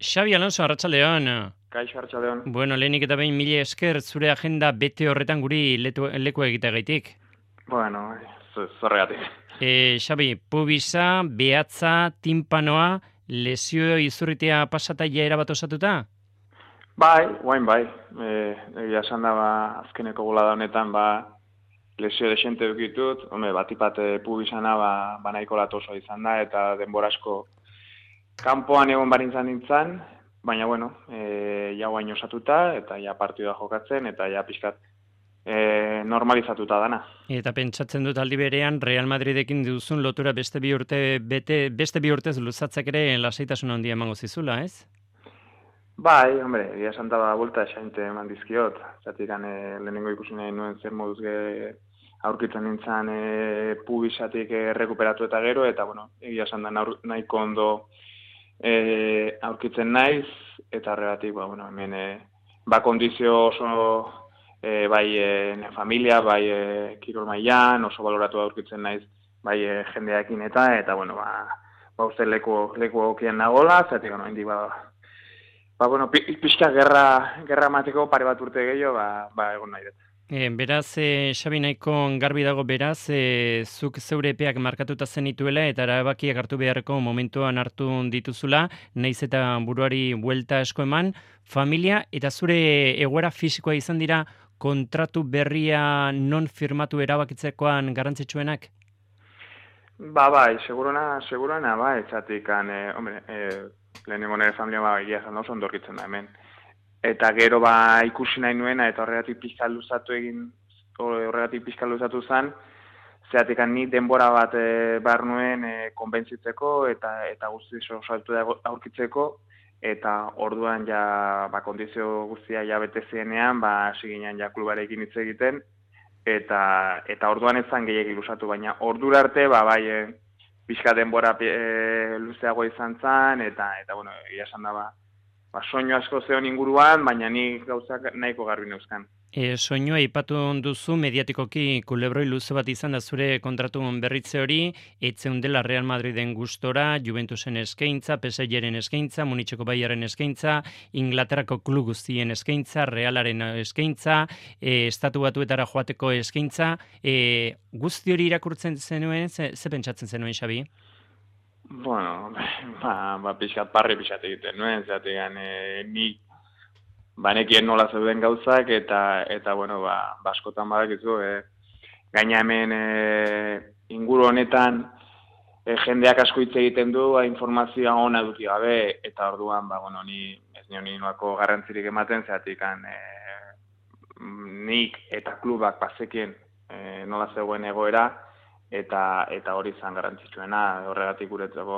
Xabi Alonso, arratsaldeon. Kaixo Arratsaldeon. Bueno, lehenik eta behin mila esker zure agenda bete horretan guri leku egiteagaitik. Bueno, zorregatik. Xabi, pubisa, behatza, timpanoa, lesio izurritea pasataia erabat osatuta? Bai, guain bai. Egia esan da, azkeneko bolada honetan, lesio desente dukitut. Batipat pubisana, nahiko latoso izan da, eta denbora asko kanpoan egon barintzan nintzen, baina, bueno, ja guain osatuta, eta ja partidua jokatzen, eta ja pixkat normalizatuta dana. Eta pentsatzen dut aldi berean Real Madridekin duzun lotura beste bi urtez luzatzak ere lasaitasun handia emango zizula, ez? Bai, egia esan da buelta esainte eman dizkiot. Zatik lehenengo ikusi nahi nuen zer moduz aurkitzen nintzen pubisatik rekuperatu eta gero, eta bueno, egia esan da nahiko ondo aurkitzen naiz, eta horregatik, hemen kondizio oso bai familia, bai kirol mailan, oso baloratu aurkitzen naiz, bai jendeakin eta bueno, uste leku okien nagola, zatik, hendik pixka gerra mateko pare bat urte gehiago, egon nahi dut. Beraz, Xabi, nahiko garbi dago beraz, zuk zeure epeak markatuta zenituela eta erabakiak hartu beharreko momentuan hartu dituzula, naiz eta buruari buelta asko eman, familia eta zure egoera fisikoa izan dira kontratu berria non firmatu erabakitzekoan garrantzitsuenak? Bai, segurana, bai, etxatik, lehenengo nire familia egia esan oso ondorkitzen da hemen. Eta gero ikusi nahi nuena, eta horregatik pixka luzatu zen, zeatik ni denbora bat behar nuen konbentzitzeko, eta guzti saltu aurkitzeko, eta orduan ja kondizio guztia ja bete zienean, hasi ginen ja klubarekin hitz egiten, eta orduan ez zan gehiagik luzatu, baina ordura arte, pixka denbora luzeago izan zen, eta bueno, egia esan da, soinu asko zeon inguruan, baina ni gauzak nahiko garbi neuzkan. Soinua aipatu duzu mediatikoki kulebroi luze bat izan da zure kontratu berritze hori, etzeun dela Real Madriden gustora, Juventusen eskaintza, PSG-ren eskaintza, Munitzeko Bayerren eskaintza, Inglaterrako klub guztien eskaintza, Realaren eskaintza, Estatu Batuetara joateko eskaintza, guzti hori irakurtzen zenuen, ze pentsatzen zenuen, Xabi? Bueno, pixat egiten nuen, zategan nik banekien nola zeuden gauzak, eta bueno, askotan badakizu, gaina hemen inguru honetan jendeak asko hitz egiten du, informazioa ona duki gabe, eta orduan, ni ez nion inoako garrantzirik ematen, zatik nik eta klubak bazekien nola zegoen egoera, eta hori izan garrantzitsuena, horregatik guretzako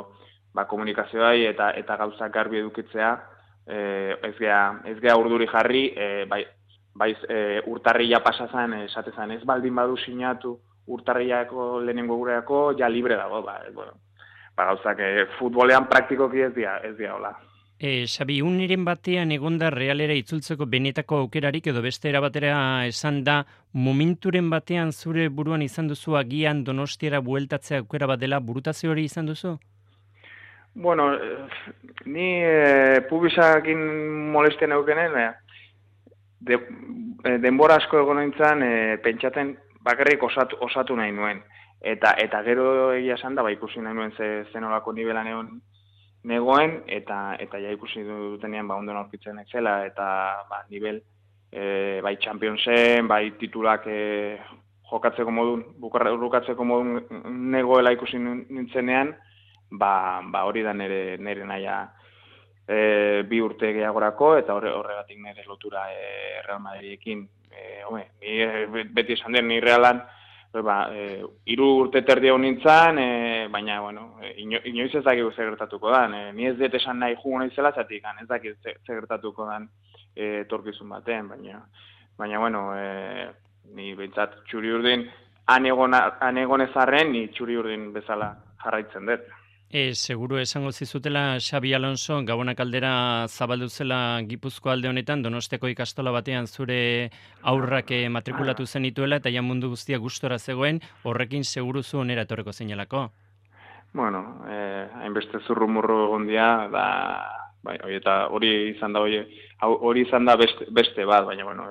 komunikazioa eta gauzak garbi edukitzea, ez gea urduri jarri, urtarrila pasazan esatezan ez baldin badu sinatu urtarrilako lehenengo gureako, ja libre dago, gauzak futbolean praktikoki ez dira hola. Xabi, uniren batean egonda Realera itzultzeko benetako aukerarik edo beste erabatera esan da, momenturen batean zure buruan izan duzu agian Donostiara bueltatzea aukera bat dela, burutazio hori izan duzu? Bueno, ni pubisakin molestian eukenen, denbora asko egon nintzen pentsaten bakarrik osatu nahi nuen. Eta gero egia esan da, ikusi nahi nuen zenolako nivelan negoen, eta ja ikusi dutenean ondo aurkitzen zela, eta nivel bai Championsen, bai titulak jokatzeko modun, bukatzeko modun negoela ikusi nintzenean, hori da nire naia bi urte gehiagorako, eta horregatik nire lotura Real Madridekin. Beti esan den, ni Realan, 3 urte terdi hon nintzen, baina, inoiz ez dakik zer gertatuko dan. Ni ez dut esan nahi jugo naizela, zatik, ez dakik zer gertatuko dan etorkizun baten, baina, ni behintzat txuri urdin, han egon ezarren, ni txuri urdin bezala jarraitzen dut. Seguru esango zizutela Xabi Alonso, Gabonak aldera zabaldu zela Gipuzko alde honetan, Donostiako ikastola batean zure aurrak matrikulatu zenituela eta ja mundu guztia gustora zegoen, horrekin seguru zu onera etorreko zeinalako. Hainbeste zurrumurru egon dira, bai, eta hori izan da beste bat, baina, bueno,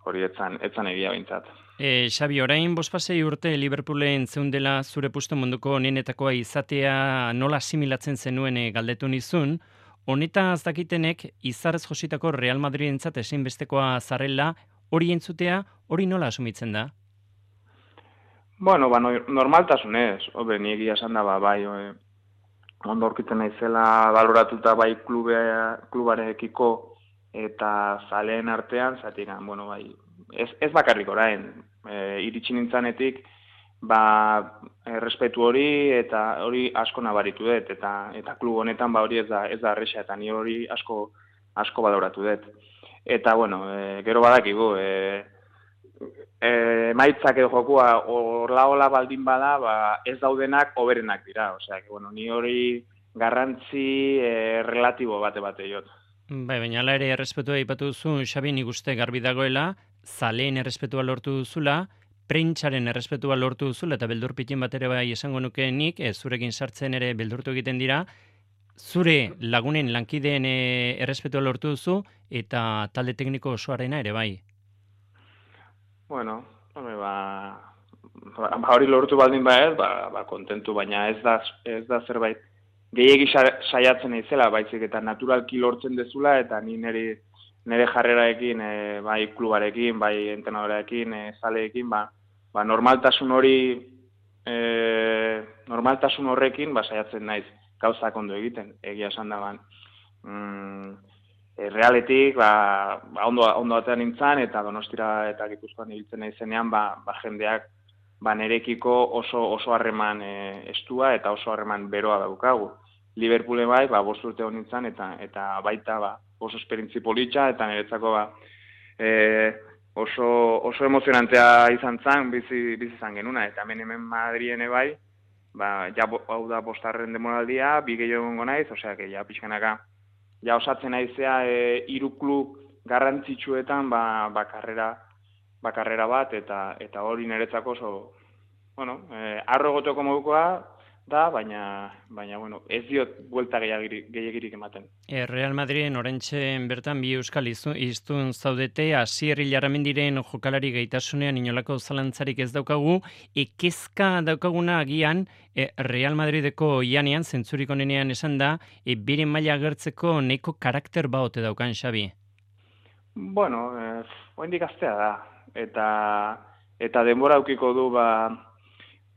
hori etzan egia bintzat. Xabi, orain bospasei urte Liverpoolen zeundela zure puesto munduko onenetakoa izatea nola asimilatzen zenuen galdetu nizun, honetaz dakitenek izarrez jositako Real Madridentzat ezinbestekoa zarela, hori entzutea, hori nola asumitzen da? Bueno, normaltasunez, ni egia esan da, bai, ondo aurkitzen naizela baloratuta bai klubarekiko eta zaleen artean, zatik, bueno, bai, ez bakarrik orain, iritsi nintzanetik, errespetu hori eta hori asko nabaritu dut, eta klub honetan hori ez da arresa, eta ni hori asko baloratu dut. Eta, bueno, gero badakigu, emaitzak edo jokua horla baldin bada, ez daudenak hoberenak dira, osea, bueno, ni hori garrantzi relatibo bate jot. Bai, baina ala ere errespetua aipatu duzu, Xabi, nik uste garbi dagoela, zaleen errespetua lortu duzula, prentsaren errespetua lortu duzula, eta beldur pitin bat ere bai esango nuke nik, zurekin sartzen ere beldurtu egiten dira, zure lagunen lankideen errespetua lortu duzu, eta talde tekniko osoarena ere bai. Bueno, hori lortu baldin ez, kontentu, baina ez da zerbait gehiegi saiatzen naizela, baizik eta naturalki lortzen dezula, eta ni nire jarreraekin, bai klubarekin, bai entrenadoreekin, zaleekin, normaltasun horrekin saiatzen naiz gauzak ondo egiten, egia esan da Realetik, ondo batean nintzen, eta Donostira eta Gipuzkoan ibiltzen naizenean, jendeak nerekiko oso harreman estua eta oso harreman beroa daukagu. Liverpoolen bai, 5 urte hon nintzen, eta baita oso esperientzi politxa, eta niretzako oso emozionantea izan zen, bizi izan genuna, eta hemen Madriene bai, hau da 5. demoraldia, 2 gehiago gongo naiz, osea, pixkanaka, osatzen naizea 3 klub garrantzitsuetan karrera bat, eta hori niretzako oso, bueno, arro egoteko modukoa da, baina bueno, ez diot buelta gehiagirik ematen. Real Madriden orentxe bertan 2 euskal hiztun zaudete, Asier Ilarramendiren jokalari gaitasunean inolako zalantzarik ez daukagu, kezka daukaguna agian Real Madrideko ianean, zentzurik onenean esan da, bere maila agertzeko nahiko karakter baote daukan, Xabi. Bueno, oraindik gaztea da, eta denbora aukiko du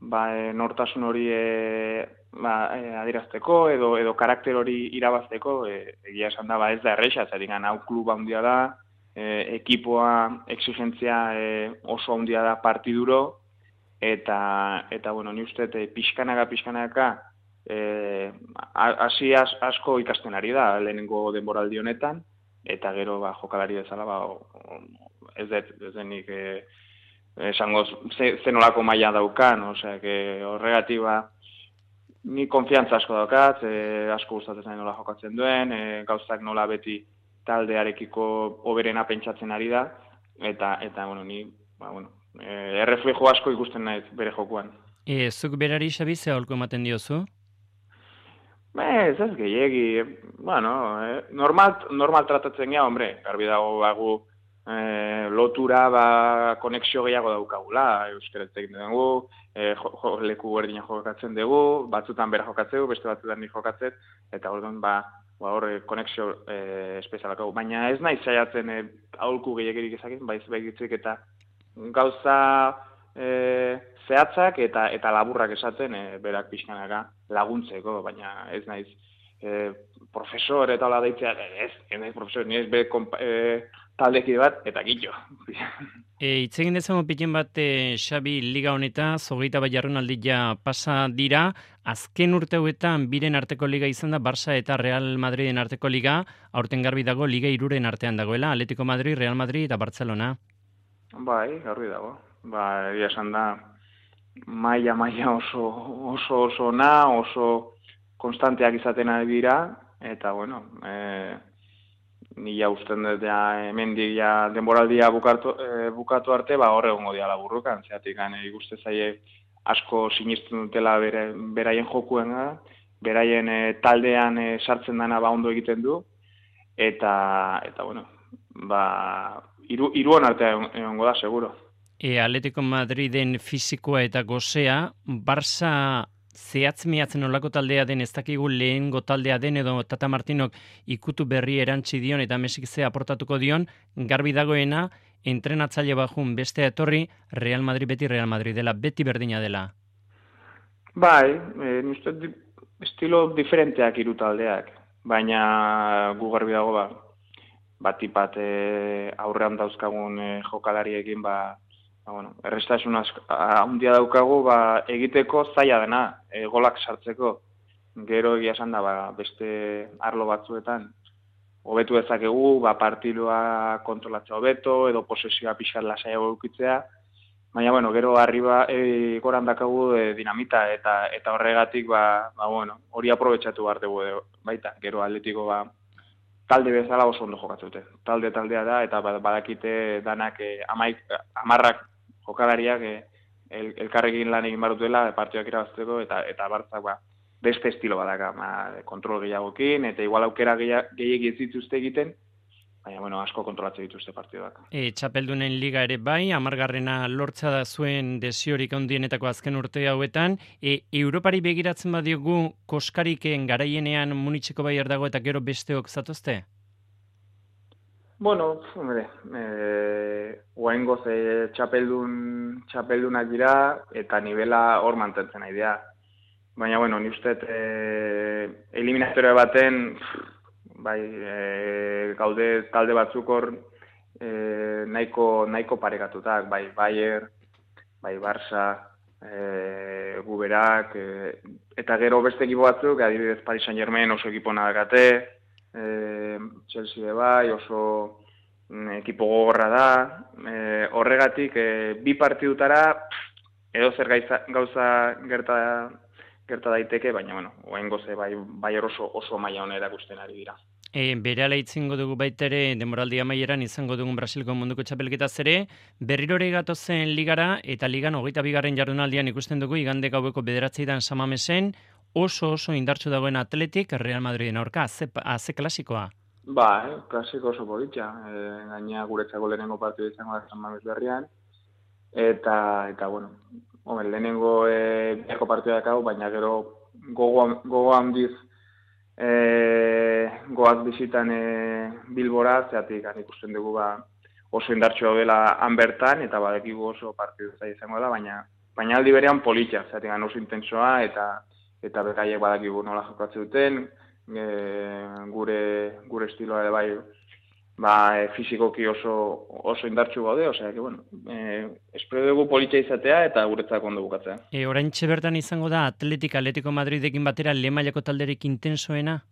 nortasun hori adierazteko edo karakter hori irabazteko, egia esan da, ez da erresa, zertik hau kluba handia da, ekipoa exigentzia oso handia da partiduro, eta bueno, ni uste pixkanaka hasi asko ikasten ari da lehenengo denboraldi honetan, eta gero jokalari bezala ez denik esango zenolako maila daukan, osea, horregatik ni konfiantza asko daukat, asko gustatzen zain nola jokatzen duen, gauzak nola beti taldearekiko hoberena pentsatzen ari da, eta bueno, ni, erreflejo asko ikusten naiz bere jokuan. Zuk berari, Xabi, ze aholku ematen diozu? Ez gehiegi, bueno, normal tratatzen gea, garbi dago lotura konexio gehiago daukagula, euskaraz egiten dugu, leku berdina jokatzen dugu, batzutan bera jokatzeu, beste batzutan ni jokatzet, eta orduan hor konexio espezialako. Baina ez nahi saiatzen aholku gehiagirik ezakin, baizik eta gauza zehatzak eta laburrak esaten berak pixkanaka laguntzeko, baina ez naiz profesor eta hola deitzea, ez naiz profesor, ni ez be taldeki bat, eta gitxo. Itzegin dezagun pikin bat, Xabi, liga honetaz, 21 jardunaldia pasa dira, azken urte hauetan biren arteko liga izan da, Barça eta Real Madriden arteko liga, aurten garbi dago, liga 3 artean dagoela, Atletico Madrid, Real Madrid eta Barcelona. Bai, garbi dago. Egia esan da, maila oso ona, oso konstanteak izaten ari dira, eta bueno, ni usten dut hemendik denboraldia bukatu arte, hor egongo dira laburrukan, zeatik ikuste zaie asko sinesten dutela beraien jokuen, beraien taldean sartzen dana ba ondo egiten du, eta bueno, ba, hiruan artean egongo da, seguro. Atletico Madriden fisikoa eta gozea, Barça zehatz-mehatzen olako taldea den, ez dakigu lehengo taldea den, edo Tata Martinok ikutu berri erantzi dion eta Mesik ze aportatuko dion, garbi dagoena, entrenatzaile bajun bestea etorri, Real Madrid beti Real Madrid dela, beti berdina dela. Bai, uste estilo diferenteak hiru taldeak, baina gu garbi dago ba, batipat aurrean dauzkagun jokalariekin bueno, errestasun handia daukagu egiteko zaila dena, golak sartzeko. Gero egia esan da beste arlo batzuetan hobetu dezakegu, partidua kontrolatzea hobeto edo posesioa pixkat lasaiago edukitzea. Baina bueno, gero arriba goran dakagu dinamita eta horregatik bueno, hori aprobetxatu behar dugu baita. Gero Atletiko talde bezala oso ondo jokatzute. Taldea da eta badakite danak 10 jokalariak elkarrekin lan egin behar dutela partioak irabazteko eta Bartzak beste estilo badaka, kontrol gehiagokin eta igual aukera gehiegi ez dituzte egiten, baina bueno, asko kontrolatzen dituzte partiduak. Txapeldunen liga ere bai, 10. lortza da zuen desiorik handienetako azken urte hauetan. Europari begiratzen badiogu koskariken garaienean Munitzeko Bayern dago eta gero besteok zatozte? Bueno, hombre, oraingoz txapeldunak dira eta nivela hor mantentzen nahi dira. Baina, bueno, ni uste eliminatoria baten gaude talde batzuk hor nahiko parekatutak, bai Bayern, bai Barça, guberak, eta gero beste ekipo batzuk, adibidez Paris Saint-Germain oso ekipo nadakate, Chelsea bai, oso ekipo gogorra da, horregatik bi partidutara edo zer gauza gerta daiteke, baina bueno, oraingoz bai oso maila ona erakusten ari dira. Berehala itzingo dugu baitere denboraldi amaieran izango dugun Brasilko munduko txapelketaz ere, berrirore gatozen ligara eta ligan 22. jardunaldian ikusten dugu igande gaueko 9:00 San Mamesen oso indartsu dagoen Atletik Real Madriden aurka, ze klasikoa. Klasiko oso politxa, gaina guretzako lehenengo partidu izango da San Mames berrian, eta bueno, lehenengo biako partida dakau, baina gero gogo handiz goaz bizitan Bilbora, zeatik ikusten dugu oso indartxo dela han bertan, eta badekigu oso partidu zai izango da, baina aldi berean politxa, zeatik oso intensoa, eta bekaiek badakigu nola jokatzen duten, gure estiloa ere fizikoki oso indartsu gaude, osea, que bueno, espero dugu politxa izatea eta guretzako ondo bukatzea. Oraintxe bertan izango da Atletico Madridekin batera lehen mailako talderik intensoena?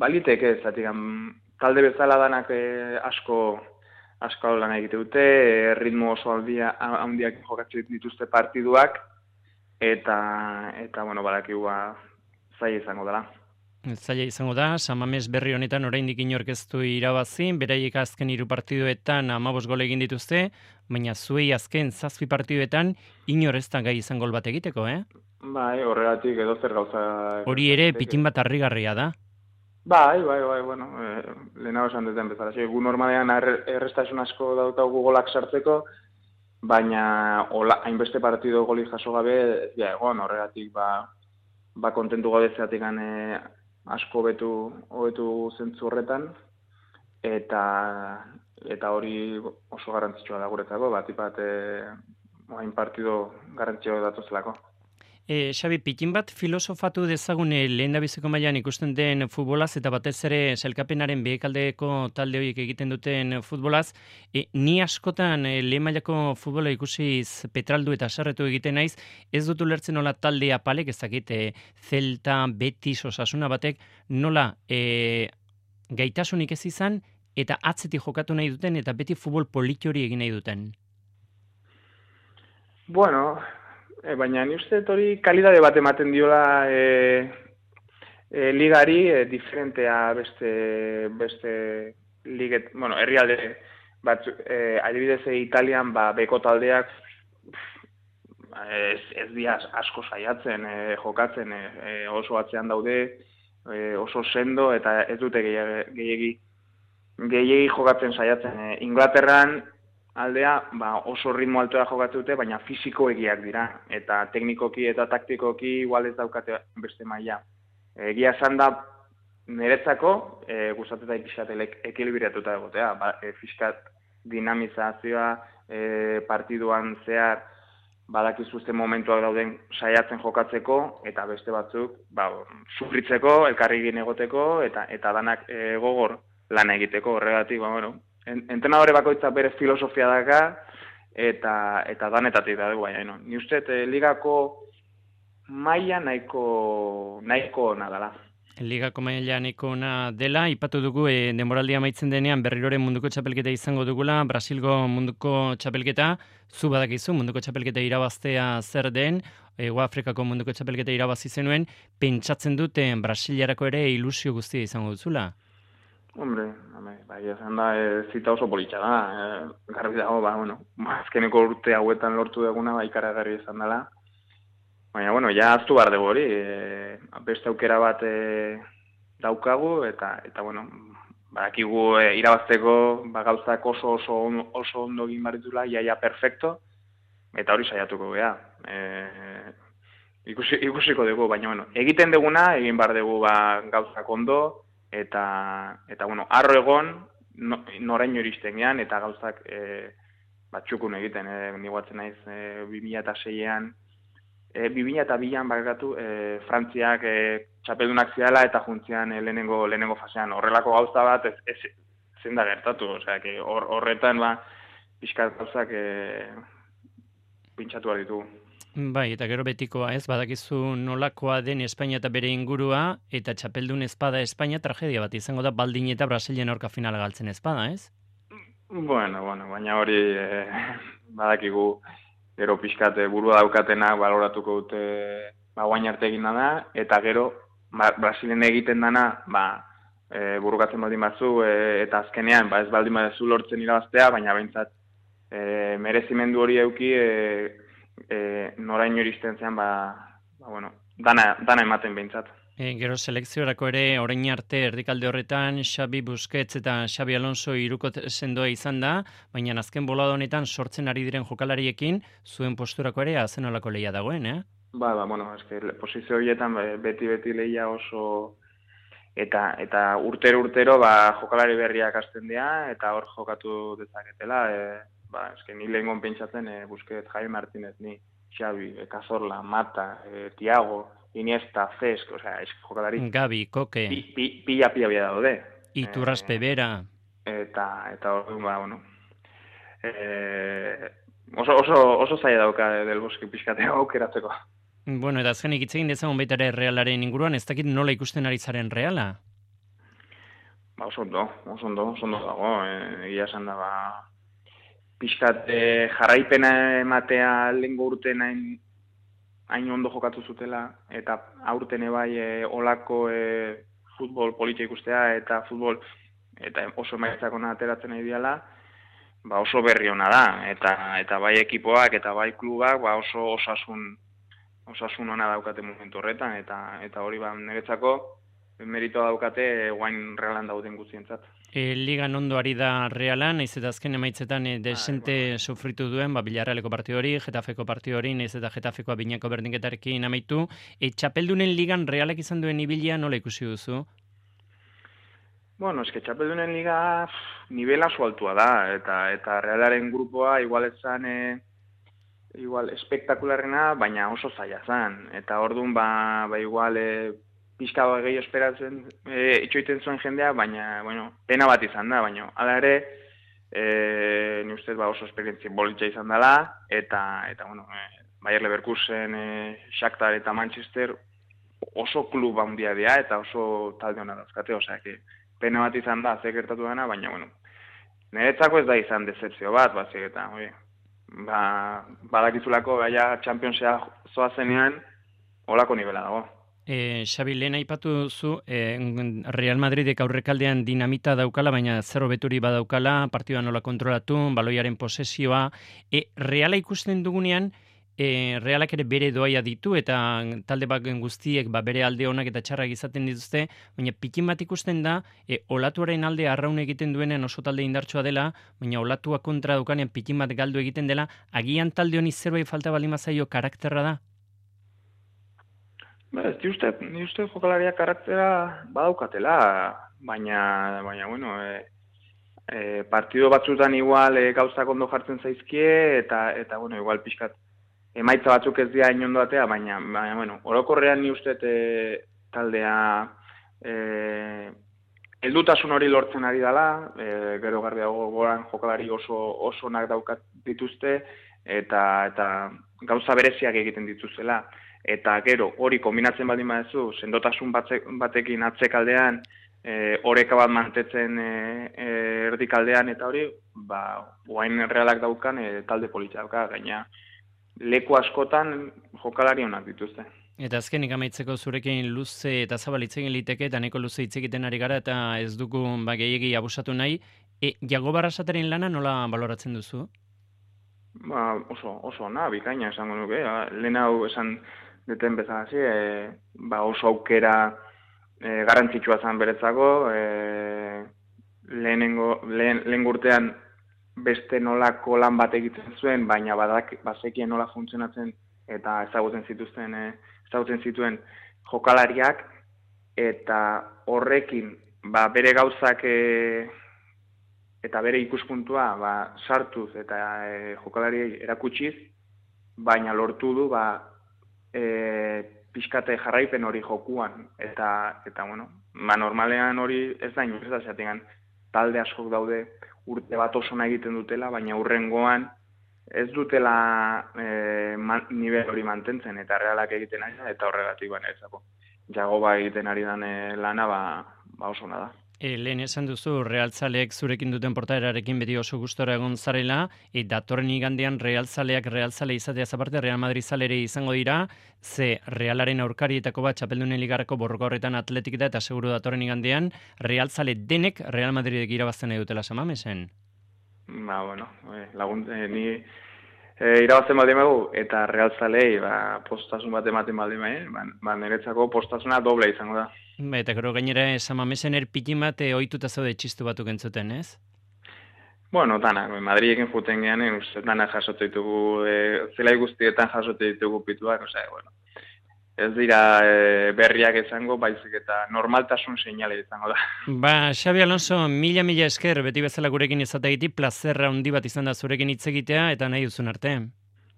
Baliteke, zatik, talde bezala danak asko lan egite dute, ritmo oso handiak jokatzen dituzte partiduak, eta bueno, badakigu zaila izango dela. Zaila izango da, San Mames berri honetan oraindik inork ez du irabazi, beraiek azken 3 partiduetan 15 gol egin dituzte, baina zuei azken 7 partiduetan inor ez da gai izan gol bat egiteko, Horregatik edo zer gauza... Hori ere pitin bat harrigarria da. Bueno, lehenago esan duten bezala. Gu normalean errestasun asko daukagu golak sartzeko, baina hainbeste partidu goli jaso gabe, horregatik kontentu gabe zeatik asko hobetu zentzu horretan, eta hori oso garrantzitsua da guretzako, batipat hain partidu garrantzitsua datozelako. Xabi, pitin bat filosofatu dezagune lehendabiziko mailan ikusten den futbolaz eta batez ere sailkapenaren behekaldeko talde horiek egiten duten futbolaz, ni askotan lehen mailako futbola ikusiz petraldu eta sarretu egiten naiz, ez dut ulertzen nola talde apalek ezakite Celta, Betis, Osasuna batek, nola gaitasunik ez izan eta atzetik jokatu nahi duten eta beti futbol polit hori egin nahi duten. Bueno, baina ni uste hori kalidade bat ematen diola ligari diferentea beste liget, bueno, herrialde bat, adibidez Italian beko taldeak ez dira asko saiatzen, jokatzen, oso atzean daude, oso sendo, eta ez dute gehiegi jokatzen saiatzen. Inglaterran aldea oso ritmo altoa jokatu dute, baina fisikoegiak dira, eta teknikoki eta taktikoki igual ez daukate beste maila. Egia esan da, niretzako, gustatzen pixkatelek ekilibratuta egotea, fiskat dinamizazioa, partiduan zehar, badakizuzten momentuak dauden saiatzen jokatzeko, eta beste batzuk, sufritzeko, elkarrigin egoteko, eta danak gogor lan egiteko, horregatik, entrenadore bakoitzak bere filosofia daka, eta danetatik da dugu, baina, ni uste, ligako maila nahiko ona dela. Ligako maila nahiko ona dela, ipatu dugu denboraldia amaitzen denean berriroren munduko txapelketa izango dugula, Brasilgo munduko txapelketa, zu badakizu munduko txapelketa irabaztea zer den, Afrikako munduko txapelketa irabazi zenuen, pentsatzen dute Brasiliarako ere ilusio guztia izango duzula? Hombre, esan da, zita oso politxa da, garbi dago, azkeneko urte hauetan lortu duguna, ikaragarri izan dela. Baina, ja aztu behar dugu hori, beste aukera bat daukagu, eta badakigu irabazteko gauzak oso ondo egin baritula, iaia perfecto, eta hori saiatuko gea. Ikusiko dugu, baina, egiten duguna, egin behar dugu gauzak ondo, eta arro egon, noraino iristen gean, eta gauzak txukun egiten, niguatzen naiz 2006an, 2002an bakatu Frantziak txapeldunak ziala eta juntzian lehenengo fasean. Horrelako gauza bat zen da gertatu, horretan pixkat gauzak pintxatu behar ditugu. Bai, eta gero betikoa ez, badakizu nolakoa den Espainia eta bere ingurua, eta txapeldun ezpada Espainia tragedia bat izango da baldin eta Brasilien aurka finala galtzen ezpada, ez? Bueno, baina hori badakigu gero pixkat burua daukatena baloratuko dute guain arte egin da, eta gero Brasilen egiten dana burukatzen baldin batzu, eta azkenean ez baldin batzu lortzen irabaztea, baina behintzat merezimendu hori euki noraino iristen zean dana ematen behintzat. Gero selekziorako ere orain arte erdikalde horretan Xabi Busquets eta Xabi Alonso hiruko sendoa izan da, baina azken bolada honetan sortzen ari diren jokalariekin zuen posturako ere azenolako lehia dagoen, posizio horietan beti lehia oso eta urtero jokalari berriak hasten dira eta hor jokatu dezaketela, ni lehengon pentsatzen Busquets, Javi Martínez, ni Xabi, Cazorla, Mata, Thiago, Iniesta, Cesc, jokalari... Gabi, Koke... Pila daude. Iturraspe bera... Eta oso zaila dauka del Bosque pixkatea aukeratzeko. Bueno, eta azkenik hitz egin dezagun baita ere Realaren inguruan, ez dakit nola ikusten ari zaren Reala? Oso ondo dago, egia esan da, pixkat jarraipena ematea lehengo urten hain ondo jokatu zutela, eta aurten bai olako futbol politia ikustea, eta futbol eta oso emaitzak ona ateratzen nahi diala, oso berri ona da, eta bai ekipoak, eta bai klubak, oso osasun ona daukate momentu horretan, eta hori niretzako meritoa daukate guain Realan dauden guztientzat. Ligan ondo ari da Realan, naiz eta azken emaitzetan desente sufritu duen, Villarrealeko partidu hori, Getafeko partidu hori, naiz eta Getafekoa binako berdinketarekin amaitu. Txapeldunen ligan Realak izan duen ibilia nola ikusi duzu? Bueno, eske txapeldunen liga nivela oso altua da, eta Realaren grupoa igual esan espektakularrena, baina oso zaila zan. Eta orduan igual pixka gehi esperatzen itxoiten zuen jendea, baina, pena bat izan da, baina, hala ere, ni ustez oso esperientzia bolitza izan dela, eta Bayer Leverkusen, Shakhtar eta Manchester oso klub handia dira, eta oso talde hona dauzkate, pena bat izan da, ze gertatu dena, baina, niretzako ez da izan decepzio bat, eta, badakizulako gaia Championsea zoazenean, holako nivela dago. Xabi, lehen aipatu duzu, Real Madridek aurrekaldean dinamita daukala, baina zerro beturi badaukala, partidua nola kontrolatu, baloiaren posesioa. Reala ikusten dugunean, Realak ere bere doaia ditu eta talde baken guztiek bere alde onak eta txarrak izaten dituzte, baina pikin bat ikusten da olatuaren alde arraun egiten duenean oso talde indartsua dela, baina olatua kontra dukanean pikin bat galdu egiten dela, agian talde honi zerbait falta baldin bazaio karakterra da? Ni uste jokalaria karaktera badaukatela, baina bueno, partido batzutan igual gauzak ondo jartzen zaizkie, eta bueno, igual pixkat emaitza batzuk ez dira inondoatea, baina bueno, orokorrean ni uste taldea heldutasun hori lortzen ari dela, gero garbiago goran jokalari oso onak daukat dituzte, eta gauza bereziak egiten dituzela. Eta gero, hori kombinatzen baldin badezu, sendotasun batekin atzekaldean, oreka bat mantetzen erdikaldean, eta hori, oain Realak daukan talde politxa dauka, gaina leku askotan jokalari onak dituzte. Eta azkenik amaitzeko zurekin luze eta zabal hitz egin liteke, eta neko luze hitz egiten ari gara, eta ez dugu gehiegi abusatu nahi. Jago Barrasateren lana nola baloratzen duzu? Oso ona, bikaina esango nuke. Lehen hau esan deten bezalazi, oso aukera garrantzitsua zen beretzako, lehen urtean beste nolako lan bat egiten zuen, baina bazekien nola funtzionatzen eta ezagutzen zituen jokalariak, eta horrekin bere gauzak eta bere ikuspuntua sartuz eta jokalariei erakutsiz, baina lortu du pixkate jarraipen hori jokuan, eta bueno, normalean hori ez da inoiz da zatengan, talde askok daude urte bat oso nahi egiten dutela, baina hurrengoan ez dutela nivel hori mantentzen, eta Realak egiten ari da, eta horregatik ezako. Jagoba egiten ari dan lana oso ona da. Lehen esan duzu, Realzaleek zurekin duten portaerarekin beti oso gustora egon zarela, datorren igandean Realzale izateaz aparte, Real Madrid zalere izango dira, ze Realaren aurkarietako bat txapeldunen ligarako borroka horretan Atletik da, eta seguru datorren igandean, Realzale denek Real Madridek irabazten nahi dutela Samamesen. Bueno, ni irabazten baldin bagu, eta Realzalei postasun bat ematen baldin bai, niretzako postasuna doble izango da. Eta gero gainera Samamesen erpikin bat ohituta zaude txistu batuk entzuten, ez? Bueno, danak, Madrilekin juten gehan, danak jasotu ditugu, zelai guztietan jasotu ditugu pituak, bueno, ez dira berriak izango, baizik eta normaltasun seinale izango da. Xabi Alonso, mila esker, beti bezala gurekin izateagiti, plazerra handi bat izan da zurekin hitz egitea, eta nahi duzun arte.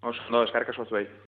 Oso, eskarrik asko zuei.